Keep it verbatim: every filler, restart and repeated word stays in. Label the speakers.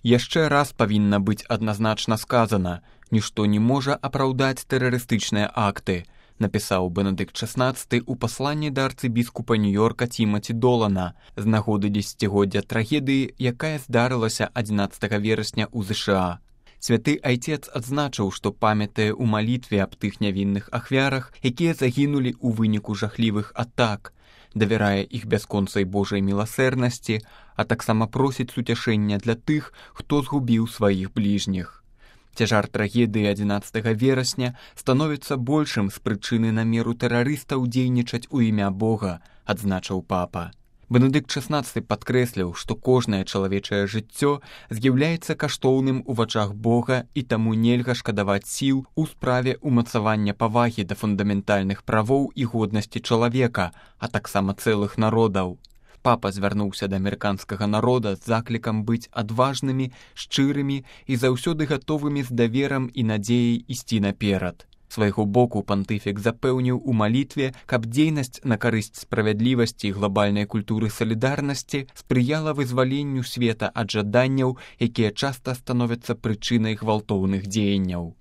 Speaker 1: Яшчэ раз павінна быць адназначна сказана: нішто не можа апраўдаць тэрарыстычныя акты, напісаў Бенедыкт шаснаццаты ў пасланні да арцыбіскупа Нью-Йорка Тімаці Долана з нагоды дзесяцігоддзя трагедыі, якая здарылася адзінаццатага верасня ў ЗША. Святы Айцец адзначыў, што памятае ў малітве аб тых нявінных ахвярах, якія загінулі ў выніку жахлівых атак, давярае іх бясконцай Божай міласэрнасці, а таксама просіць суцяшэння для тых, хто згубіў сваіх бліжніх. Цяжар трагедыі адзінаццатага верасня становіцца большым з прычыны намеру тэрарыстаў дзейнічаць у імя Бога, адзначыў папа. Бенедыкт шаснаццаты падкрэсліў, што кожнае чалавечае жыццё з'яўляецца каштоўным у вачах Бога і таму нельга шкадаваць сіл у справе ўмацавання павагі да фундаментальных правоў і годнасці чалавека, а таксама цэлых народаў. Папа звярнуўся да амерыканскага народа з заклікам быць адважнымі, шчырымі і заўсёды гатовымі з даверам і надзеяй ісці наперад. Свайго боку пантыфік запэўніў у малітве, каб дзейнасць на карысць справядлівасці і глобальнай культуры салідарнасці спрыяла вызваленню света ад жаданняў, якія часта становяцца прычынай гвалтоўных дзеянняў.